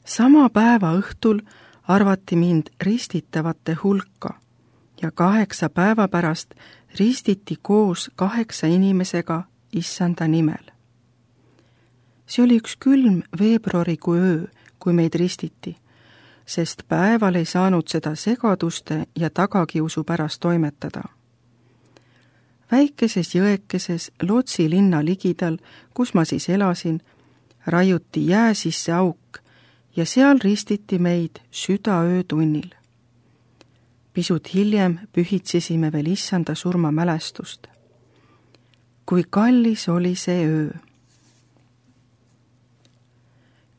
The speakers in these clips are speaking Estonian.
Sama päeva õhtul arvati mind ristitavate hulka ja 8 päeva pärast ristiti koos 8 inimesega Issanda nimel. See oli üks külm veebruarikuu öö, kui meid ristiti, sest päeval ei saanud seda segaduste ja tagakiusu pärast toimetada. Väikeses jõekeses Lotsi linna ligidal, kus ma siis elasin, raiuti jää sisse auk ja seal ristiti meid südaöötunnil. Pisut hiljem pühitsesime veel Issanda surmamälestust. Kui kallis oli see öö.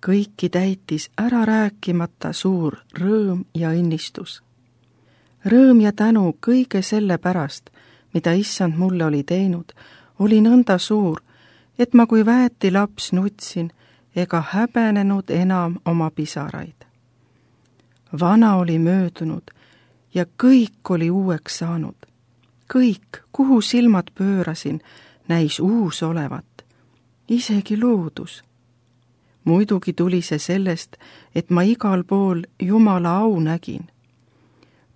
Kõiki täitis ära rääkimata suur rõõm ja õnnistus. Rõõm ja tänu kõige selle pärast, mida Issand mulle oli teinud, oli nõnda suur, et ma kui väeti laps nutsin ega häbenenud enam oma pisaraid. Vana oli möödunud ja kõik oli uueks saanud. Kõik, kuhu silmad pöörasin, näis uus olevat, isegi loodus. Muidugi tuli see sellest, et ma igal pool Jumala au nägin.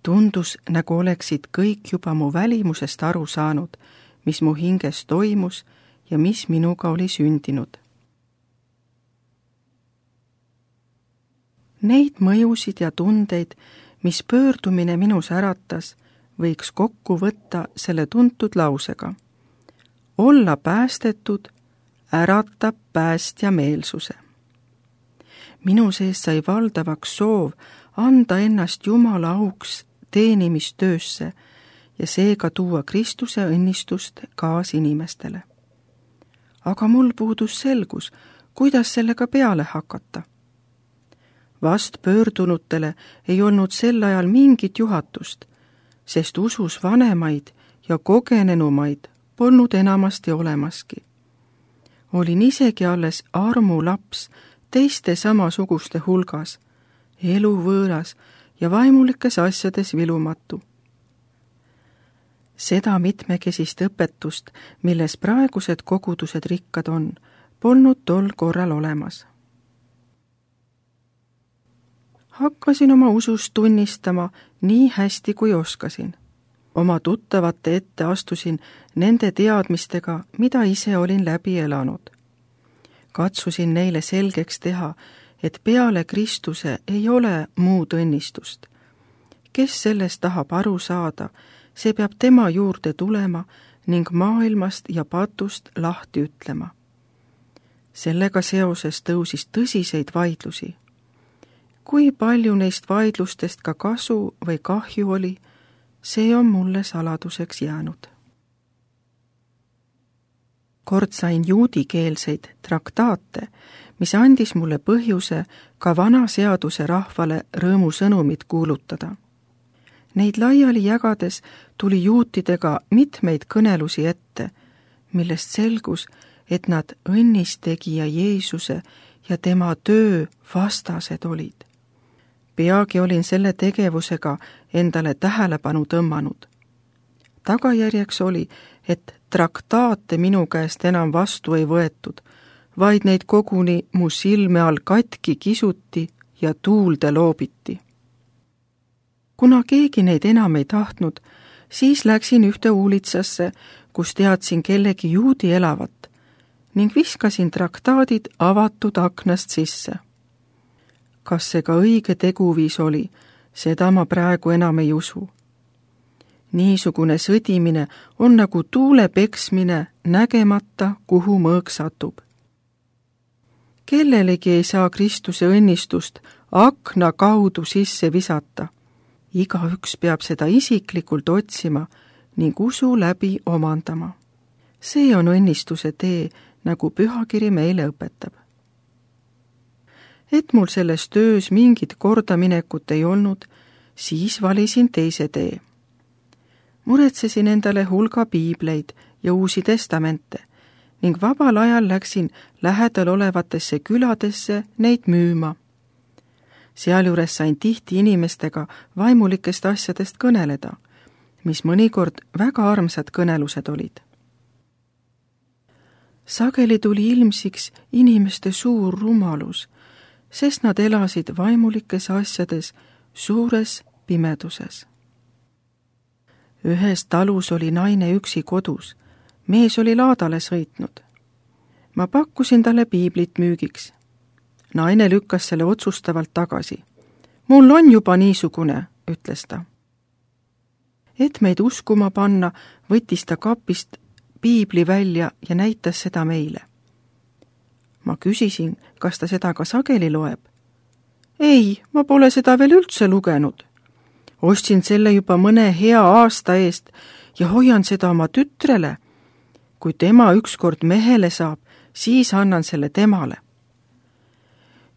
Tundus, nagu oleksid kõik juba mu välimusest aru saanud, mis mu hinges toimus ja mis minuga oli sündinud. Neid mõjusid ja tundeid, mis pöördumine minus äratas, võiks kokku võtta selle tuntud lausega. Olla päästetud äratab päästja meelsuse. Minu sees sai valdavaks soov anda ennast Jumala auks teenimistöösse ja seega tuua Kristuse õnnistust kaasinimestele. Aga mul puudus selgus, kuidas sellega peale hakata. Vast pöördunutele ei olnud sel ajal mingit juhatust, sest usus vanemaid ja kogenenumaid polnud enamasti olemaski. Olin isegi alles armulaps teiste samasuguste hulgas, eluvõõras ja vaimulikes asjades vilumatu. Seda mitmekesist õpetust, milles praegused kogudused rikkad on, polnud tol korral olemas. Hakkasin oma usust tunnistama nii hästi kui oskasin. Oma tuttavate ette astusin nende teadmistega, mida ise olin läbi elanud. Katsusin neile selgeks teha, et peale Kristuse ei ole muud õnnistust. Kes sellest tahab aru saada, see peab tema juurde tulema ning maailmast ja patust lahti ütlema. Sellega seoses tõusis tõsiseid vaidlusi. Kui palju neist vaidlustest ka kasu või kahju oli, see on mulle saladuseks jäänud. Kord sain juudikeelseid traktaate, mis andis mulle põhjuse ka vana seaduse rahvale rõõmusõnumit kuulutada. Neid laiali jagades tuli juutidega mitmeid kõnelusi ette, millest selgus, et nad õnnistegija Jeesuse ja tema töö vastased olid. Peagi olin selle tegevusega endale tähelepanu tõmmanud. Tagajärjeks oli, et traktaate minu käest enam vastu ei võetud, vaid neid koguni mu silme all katki kisuti ja tuulde loobiti. Kuna keegi neid enam ei tahtnud, siis läksin ühte uulitsasse, kus teadsin kellegi juudi elavat ning viskasin traktaadid avatud aknast sisse. Kas see ka õige teguviis oli, seda ma praegu enam ei usu. Niisugune sõdimine on nagu tuule peksmine nägemata, kuhu mõõk satub. Kellelegi ei saa Kristuse õnnistust akna kaudu sisse visata. Igaüks peab seda isiklikult otsima ning usu läbi omandama. See on õnnistuse tee, nagu pühakiri meile õpetab. Et mul selles töös mingit kordaminekut ei olnud, siis valisin teise tee. Muretsesin endale hulga piibleid ja uusi testamente ning vabal ajal läksin lähedal olevatesse küladesse neid müüma. Sealjuures sain tihti inimestega vaimulikest asjadest kõneleda, mis mõnikord väga armsad kõnelused olid. Sageli tuli ilmsiks inimeste suur rumalus sest nad elasid vaimulikes asjades suures pimeduses. Ühes talus oli naine üksi kodus, mees oli laadale sõitnud. Ma pakkusin talle piiblit müügiks. Naine lükkas selle otsustavalt tagasi. Mul on juba niisugune, ütles ta. Et meid uskuma panna, võttis ta kapist piibli välja ja näitas seda meile. Ma küsisin, kas ta seda ka sageli loeb. Ei, ma pole seda veel üldse lugenud. Ostsin selle juba mõne hea aasta eest ja hoian seda oma tütrele. Kui tema ükskord mehele saab, siis annan selle temale.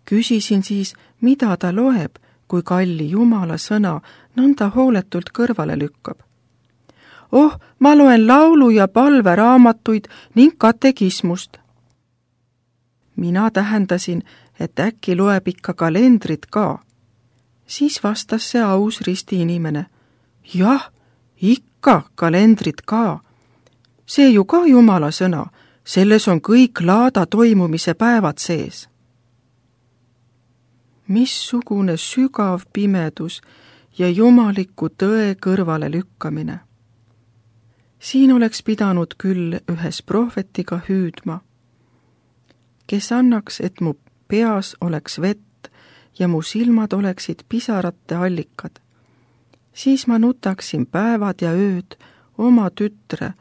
Küsisin siis, mida ta loeb, kui kalli Jumala sõna nõnda hooletult kõrvale lükkab. Oh, ma loen laulu- ja palveraamatuid ning katekismust. Mina tähendasin, et äkki loeb ikka kalendrit ka. Siis vastas see aus ristiinimene. Jah, ikka kalendrit ka. See ju ka Jumala sõna, selles on kõik laada toimumise päevad sees. Missugune sügav pimedus ja jumaliku tõe kõrvale lükkamine. Siin oleks pidanud küll ühes prohvetiga hüüdma, kes annaks, et mu peas oleks vett ja mu silmad oleksid pisarate allikad. Siis ma nutaksin päevad ja ööd oma tütre,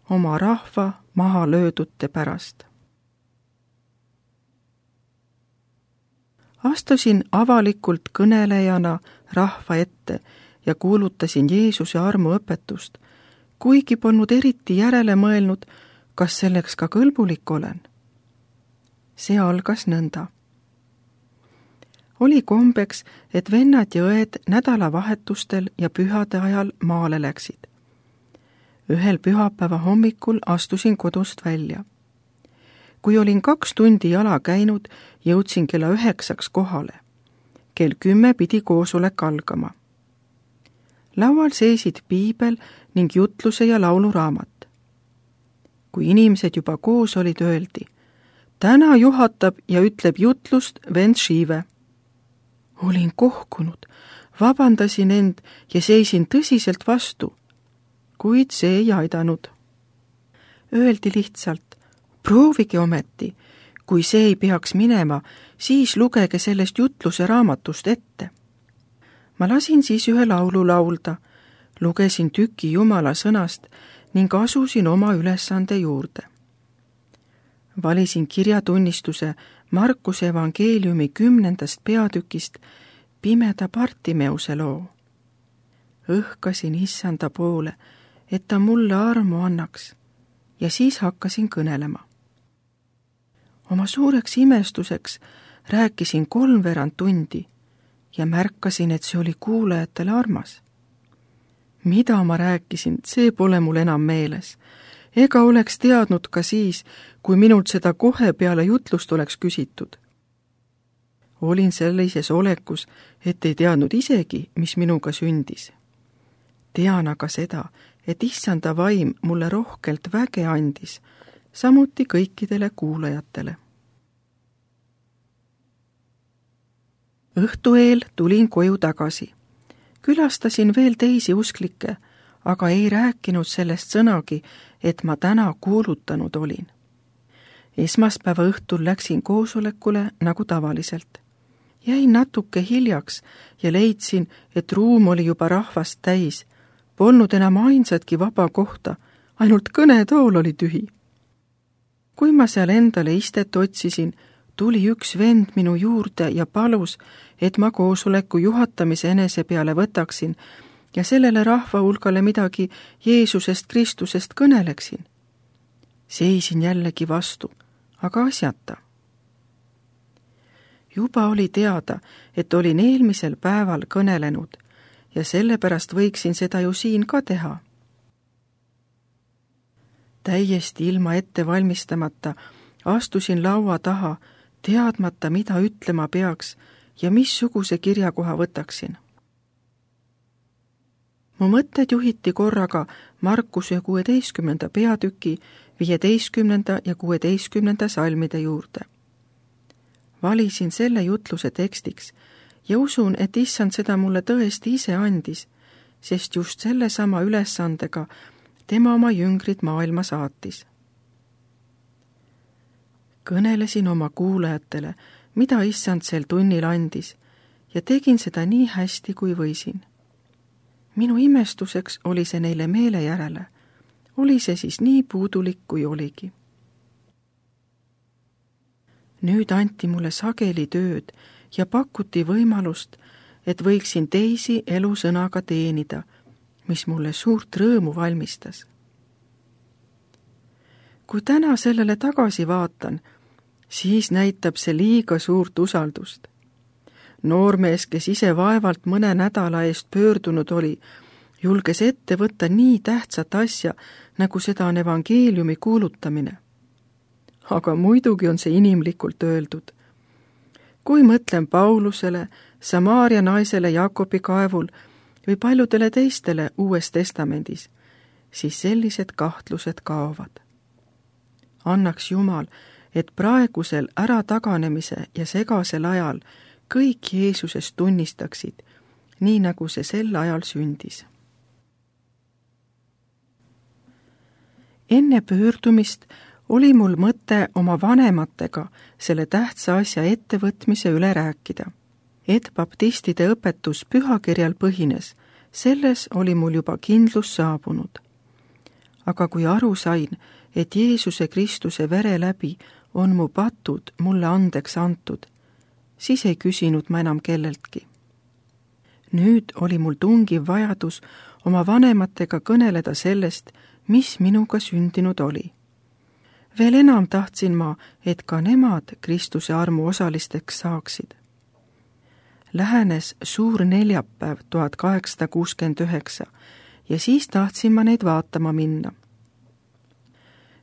oma rahva maha löödute pärast. Astusin avalikult kõnelejana rahva ette ja kuulutasin Jeesuse armuõpetust, kuigi polnud eriti järele mõelnud, kas selleks ka kõlbulik olen. See algas nõnda. Oli kombeks, et vennad ja õed nädalavahetustel ja pühade ajal maale läksid. Ühel pühapäeva hommikul astusin kodust välja. Kui olin 2 tundi jala käinud, jõudsin kella 9 kohale. Kell 10 pidi koosolek algama. Laual seisid piibel ning jutluse ja lauluraamat. Kui inimesed juba koos olid, öeldi, täna juhatab ja ütleb jutlust vend Šiive. Olin kohkunud, vabandasin end ja seisin tõsiselt vastu, kuid see ei aidanud. Öeldi lihtsalt, proovige ometi, kui see ei peaks minema, siis lugege sellest jutluse raamatust ette. Ma lasin siis ühe laulu laulda, lugesin tüki Jumala sõnast ning asusin oma ülesande juurde. Valisin kirjatunnistuse Markuse evangeeliumi 10. peatükist pimeda Bartimeuse loo. Õhkasin Issanda poole, et ta mulle armu annaks, ja siis hakkasin kõnelema. Oma suureks imestuseks rääkisin 3/4 tundi ja märkasin, et see oli kuulajatele armas. Mida ma rääkisin, see pole mul enam meeles. Ega oleks teadnud ka siis, kui minult seda kohe peale jutlust oleks küsitud. Olin sellises olekus, et ei teadnud isegi, mis minuga sündis. Tean aga seda, et Issanda vaim mulle rohkelt väge andis, samuti kõikidele kuulajatele. Õhtu eel tulin koju tagasi. Külastasin veel teisi usklikke, aga ei rääkinud sellest sõnagi, et ma täna kuulutanud olin. Esmaspäeva õhtul läksin koosolekule nagu tavaliselt. Jäin natuke hiljaks ja leidsin, et ruum oli juba rahvast täis. Polnud enam ainsatki vaba kohta, ainult kõnetool oli tühi. Kui ma seal endale istet otsisin, tuli üks vend minu juurde ja palus, et ma koosoleku juhatamise enese peale võtaksin ja sellele rahva hulgale midagi Jeesusest Kristusest kõneleksin. Seisin jällegi vastu, aga asjata. Juba oli teada, et olin eelmisel päeval kõnelenud ja sellepärast võiksin seda ju siin ka teha. Täiesti ilma ette valmistamata astusin laua taha, teadmata, mida ütlema peaks ja missuguse kirjakoha võtaksin. Mu mõtted juhiti korraga Markuse 16. peatüki 15. ja 16. salmide juurde. Valisin selle jutluse tekstiks ja usun, et Issand seda mulle tõesti ise andis, sest just sellesama ülesandega tema oma jüngrid maailma saatis. Kõnelesin oma kuulajatele, mida Issand sel tunnil andis, ja tegin seda nii hästi, kui võisin. Minu imestuseks oli see neile meele järele. Oli see siis nii puudulik, kui oligi. Nüüd anti mulle sageli tööd ja pakuti võimalust, et võiksin teisi elusõnaga teenida, mis mulle suurt rõõmu valmistas. Kui täna sellele tagasi vaatan, siis näitab see liiga suurt usaldust. Noormees, kes ise vaevalt mõne nädala eest pöördunud oli, julges ette võtta nii tähtsat asja, nagu seda on evangeeliumi kuulutamine. Aga muidugi on see inimlikult öeldud. Kui mõtlen Paulusele, Samaaria naisele Jakobi kaevul või paljudele teistele Uues Testamendis, siis sellised kahtlused kaovad. Annaks Jumal, et praegusel ärataganemise ja segasel ajal kõik Jeesusest tunnistaksid, nii nagu see sel ajal sündis. Enne pöördumist oli mul mõte oma vanematega selle tähtsa asja ettevõtmise üle rääkida. Et baptistide õpetus pühakirjal põhines, selles oli mul juba kindlus saabunud. Aga kui aru sain, et Jeesuse Kristuse vere läbi on mu patud mulle andeks antud, siis ei küsinud ma enam kelleltki. Nüüd oli mul tungiv vajadus oma vanematega kõneleda sellest, mis minuga sündinud oli. Veel enam tahtsin ma, et ka nemad Kristuse armu osalisteks saaksid. Lähenes suur neljapäev 1869 ja siis tahtsin ma neid vaatama minna.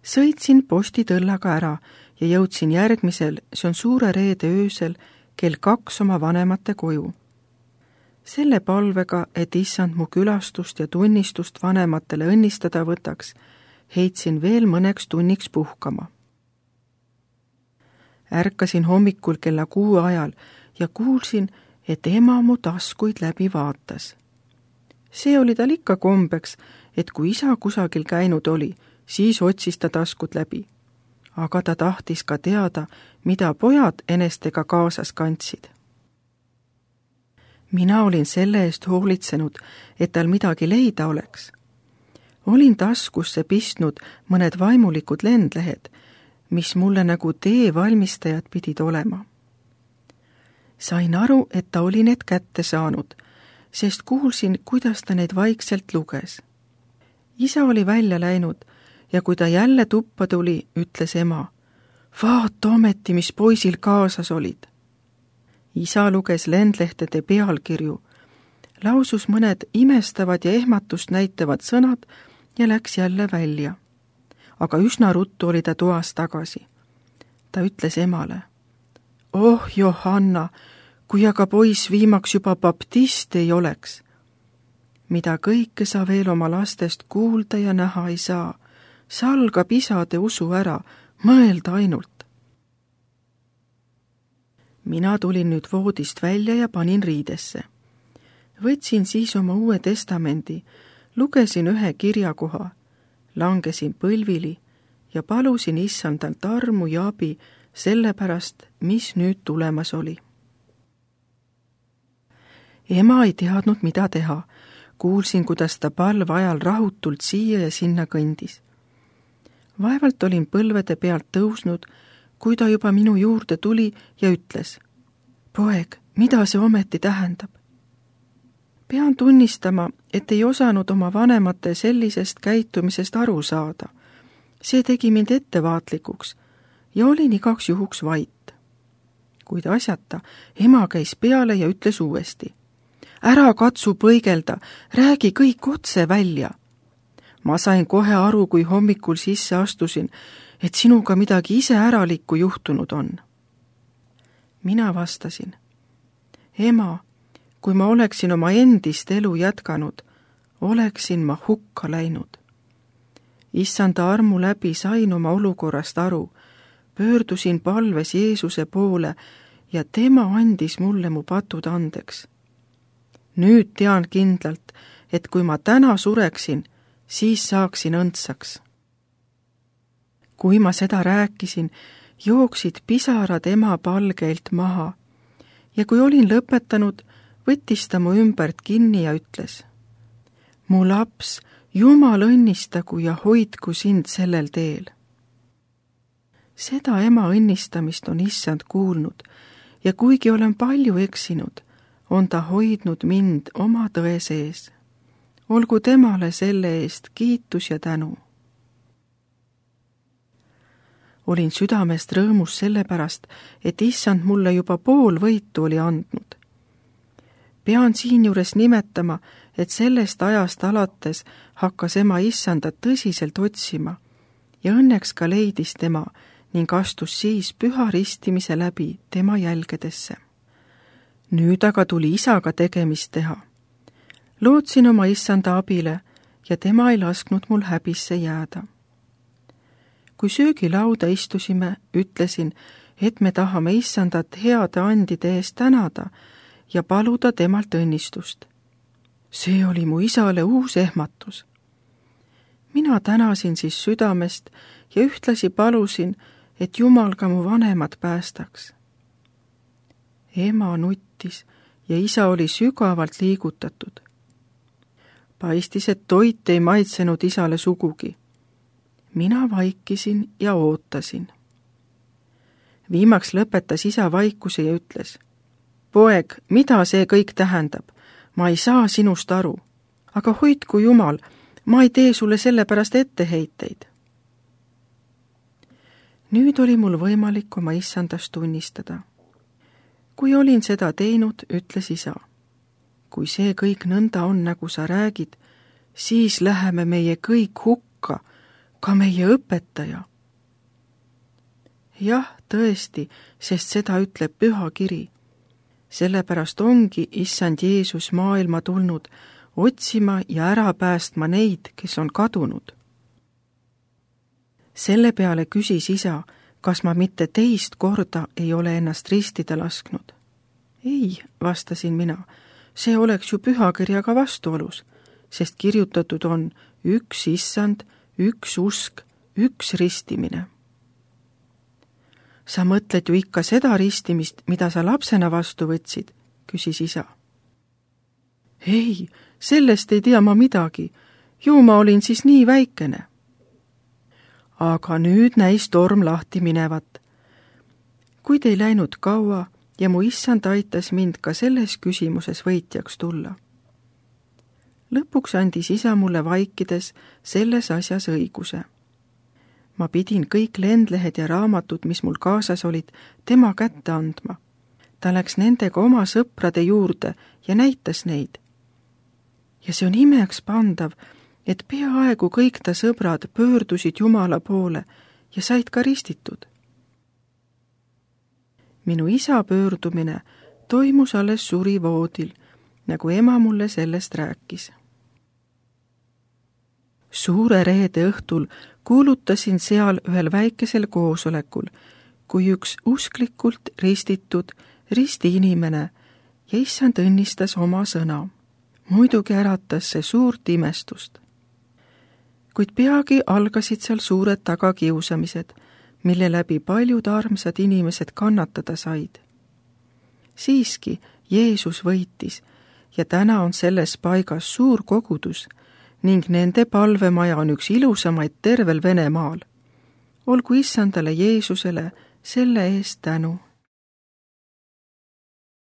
Sõitsin postitõllaga ära ja jõudsin järgmisel, see on suure reede öösel, kell 2 oma vanemate koju. Selle palvega, et Issand mu külastust ja tunnistust vanematele õnnistada võtaks, heitsin veel mõneks tunniks puhkama. Ärkasin hommikul kella 6 ajal ja kuulsin, et ema mu taskuid läbi vaatas. See oli tal ikka kombeks, et kui isa kusagil käinud oli, siis otsis ta taskud läbi. Aga ta tahtis ka teada, mida pojad enestega kaasas kandsid. Mina olin selle eest hoolitsenud, et tal midagi leida oleks. Olin taskusse pistnud mõned vaimulikud lendlehed, mis mulle nagu tee valmistajad pidid olema. Sain aru, et ta oli need kätte saanud, sest kuulsin, kuidas ta neid vaikselt luges. Isa oli välja läinud ja kui ta jälle tuppa tuli, ütles ema, vaata ometi, mis poisil kaasas olid. Isa luges lendlehtede pealkirju, lausus mõned imestavad ja ehmatust näitavad sõnad ja läks jälle välja. Aga üsna ruttu oli ta toas tagasi. Ta ütles emale, oh Johanna, kui aga poiss viimaks juba baptist ei oleks. Mida kõike sa veel oma lastest kuulda ja näha ei saa, salgab isade usu ära, mõelda ainult. Mina tulin nüüd voodist välja ja panin riidesse. Võtsin siis oma Uue Testamendi, lugesin ühe kirjakoha, langesin põlvili ja palusin Issandalt armu ja abi sellepärast, mis nüüd tulemas oli. Ema ei teadnud, mida teha. Kuulsin, kuidas ta palve ajal rahutult siia ja sinna kõndis. Vaevalt olin põlvede pealt tõusnud, kui ta juba minu juurde tuli ja ütles, poeg, mida see ometi tähendab? Pean tunnistama, et ei osanud oma vanemate sellisest käitumisest aru saada. See tegi mind ettevaatlikuks ja olin igaks juhuks vait. Kuid asjata, ema käis peale ja ütles uuesti, ära katsu põigelda, räägi kõik otse välja. Ma sain kohe aru, kui hommikul sisse astusin, et sinuga midagi iseäralikku juhtunud on. Mina vastasin, ema, kui ma oleksin oma endist elu jätkanud, oleksin ma hukka läinud. Issanda armu läbi sain oma olukorrast aru, pöördusin palves Jeesuse poole ja tema andis mulle mu patud andeks. Nüüd tean kindlalt, et kui ma täna sureksin, siis saaksin õndsaks. Kui ma seda rääkisin, jooksid pisarad ema palgeilt maha ja kui olin lõpetanud, võttis ta mu ümbert kinni ja ütles: mu laps, Jumal õnnistagu ja hoidku sind sellel teel. Seda ema õnnistamist on Issand kuulnud ja kuigi olen palju eksinud, on ta hoidnud mind oma tõe sees. Olgu temale selle eest kiitus ja tänu. Olin südamest rõõmus sellepärast, et Issand mulle juba pool võitu oli andnud. Pean siinjuures nimetama, et sellest ajast alates hakkas ema Issandat tõsiselt otsima ja õnneks ka leidis tema ning astus siis püha ristimise läbi tema jälgedesse. Nüüd aga tuli isaga tegemist teha. Lootsin oma Issanda abile ja tema ei lasknud mul häbisse jääda. Kui söögilauda istusime, ütlesin, et me tahame Issandat heade andide eest tänada ja paluda temalt õnnistust. See oli mu isale uus ehmatus. Mina tänasin siis südamest ja ühtlasi palusin, et Jumal ka mu vanemad päästaks. Ema nuttis ja isa oli sügavalt liigutatud. Paistis, et toit ei maitsenud isale sugugi. Mina vaikisin ja ootasin. Viimaks lõpetas isa vaikuse ja ütles: poeg, mida see kõik tähendab? Ma ei saa sinust aru. Aga hoidku Jumal, ma ei tee sulle sellepärast etteheiteid. Nüüd oli mul võimalik oma Issandast tunnistada. Kui olin seda teinud, ütles isa: kui see kõik nõnda on, nagu sa räägid, siis läheme meie kõik hukka, ka meie õpetaja. Jah, tõesti, sest seda ütleb püha kiri. Sellepärast ongi Issand Jeesus maailma tulnud otsima ja ära päästma neid, kes on kadunud. Selle peale küsis isa, kas ma mitte teist korda ei ole ennast ristida lasknud. Ei, vastasin mina, see oleks ju pühakirjaga vastuolus, sest kirjutatud on üks Issand, üks usk, üks ristimine. Sa mõtled ju ikka seda ristimist, mida sa lapsena vastu võtsid, küsis isa. Ei, sellest ei tea ma midagi, ju ma olin siis nii väikene. Aga nüüd näis torm lahti minevat. Kuid ei läinud kaua ja mu Issand aitas mind ka selles küsimuses võitjaks tulla. Lõpuks andis isa mulle vaikides selles asjas õiguse. Ma pidin kõik lendlehed ja raamatud, mis mul kaasas olid, tema kätte andma. Ta läks nendega oma sõprade juurde ja näitas neid. Ja see on imeks pandav, et peaaegu kõik ta sõbrad pöördusid Jumala poole ja said ka ristitud. Minu isa pöördumine toimus alles surivoodil, nagu ema mulle sellest rääkis. Suure reede õhtul kuulutasin seal ühel väikesel koosolekul, kui üks usklikult ristitud ristiinimene ja Issand õnnistas oma sõna. Muidugi äratas see suurt imestust. Kuid peagi algasid seal suured tagakiusamised, mille läbi paljud armsad inimesed kannatada said. Siiski Jeesus võitis ja täna on selles paigas suur kogudus ning nende palvemaja on üks ilusamaid tervel Venemaal. Olgu Issandale Jeesusele selle eest tänu.